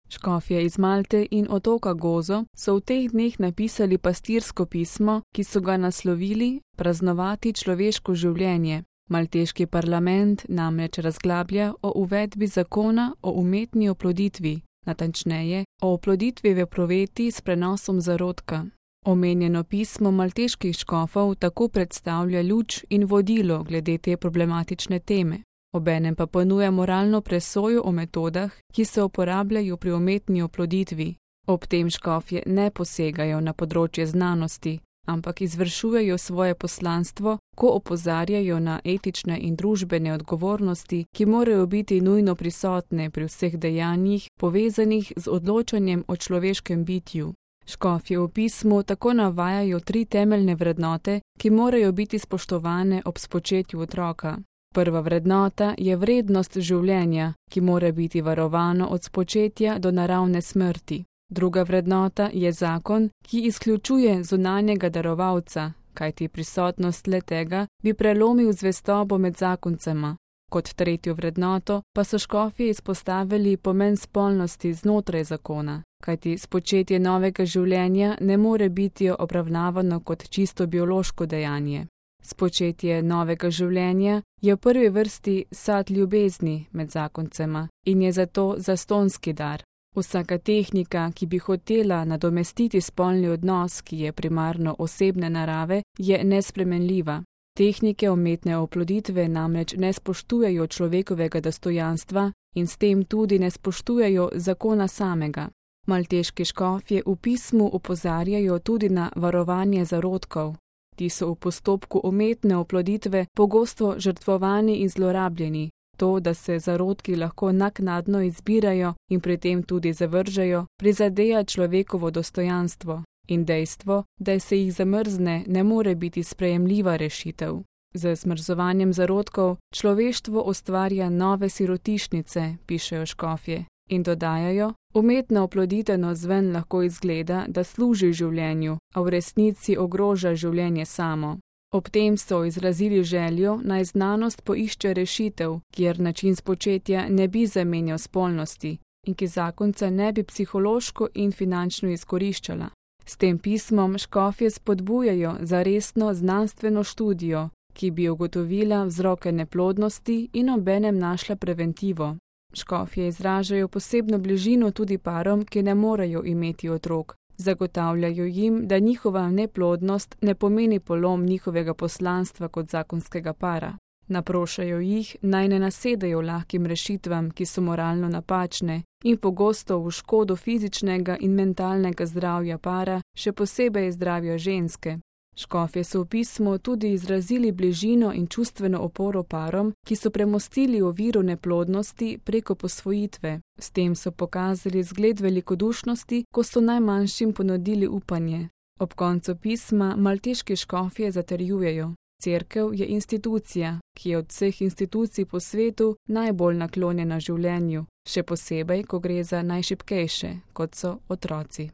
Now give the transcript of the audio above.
Škofje iz Malte in otoka Gozo so v teh dneh napisali pastirsko pismo, ki so ga naslovili Praznovati človeško življenje. Malteški parlament namreč razglablja o uvedbi zakona o umetni oploditvi, natančneje o oploditvi v epruveti s prenosom zarodka. Omenjeno pismo malteških škofov tako predstavlja luč in vodilo glede te problematične teme. Obenem pa ponuja moralno presojo o metodah, ki se uporabljajo pri umetni oploditvi. Ob tem škofje ne posegajo na področje znanosti, ampak izvršujejo svoje poslanstvo, ko opozarjajo na etične in družbene odgovornosti, ki morajo biti nujno prisotne pri vseh dejanjih, povezanih z odločanjem o človeškem bitju. Škofje v pismu tako navajajo 3 temeljne vrednote, ki morajo biti spoštovane ob spočetju otroka. Prva vrednota je vrednost življenja, ki mora biti varovano od spočetja do naravne smrti. Druga vrednota je zakon, ki izključuje zunanjega darovalca, kajti prisotnost le-tega bi prelomil zvestobo med zakoncema. Kot tretjo vrednoto pa so škofje izpostavili pomen spolnosti znotraj zakona, kajti spočetje novega življenja ne more biti obravnavano kot čisto biološko dejanje. Spočetje novega življenja je v prvi vrsti sad ljubezni med zakoncema in je zato zastonski dar. Vsaka tehnika, ki bi hotela nadomestiti spolni odnos, ki je primarno osebne narave, je nespremenljiva. Tehnike umetne oploditve namreč ne spoštujejo človekovega dostojanstva in s tem tudi ne spoštujejo zakona samega. Malteški škofje v pismu opozarjajo tudi na varovanje zarodkov. Ti so v postopku umetne oploditve pogosto žrtvovani in zlorabljeni. To, da se zarodki lahko naknadno izbirajo in pri tem tudi zavržejo, prizadeja človekovo dostojanstvo. In dejstvo, da se jih zamrzne, ne more biti sprejemljiva rešitev. Z zmrzovanjem zarodkov človeštvo ustvarja nove sirotišnice, pišejo škofje. In dodajajo, umetna oploditev navzven lahko izgleda, da služi življenju, a v resnici ogroža življenje samo. Ob tem so izrazili željo, naj znanost poišče rešitev, kjer način spočetja ne bi zamenjal spolnosti in ki zakonca ne bi psihološko in finančno izkoriščala. S tem pismom škofje spodbujajo za resno znanstveno študijo, ki bi ugotovila vzroke neplodnosti in obenem našla preventivo. Škofje izražajo posebno bližino tudi parom, ki ne morejo imeti otrok. Zagotavljajo jim, da njihova neplodnost ne pomeni polom njihovega poslanstva kot zakonskega para. Naprošajo jih, naj ne nasedajo lahkim rešitvam, ki so moralno napačne in pogosto v škodo fizičnega in mentalnega zdravja para, še posebej zdravja ženske. Škofje so v pismu tudi izrazili bližino in čustveno oporo parom, ki so premostili oviro neplodnosti preko posvojitve. S tem so pokazali zgled velikodušnosti, ko so najmanjšim ponudili upanje. Ob koncu pisma malteški škofje zatrjujejo: Cerkev je institucija, ki je od vseh institucij po svetu najbolj naklonjena življenju, še posebej, ko gre za najšibkejše, kot so otroci.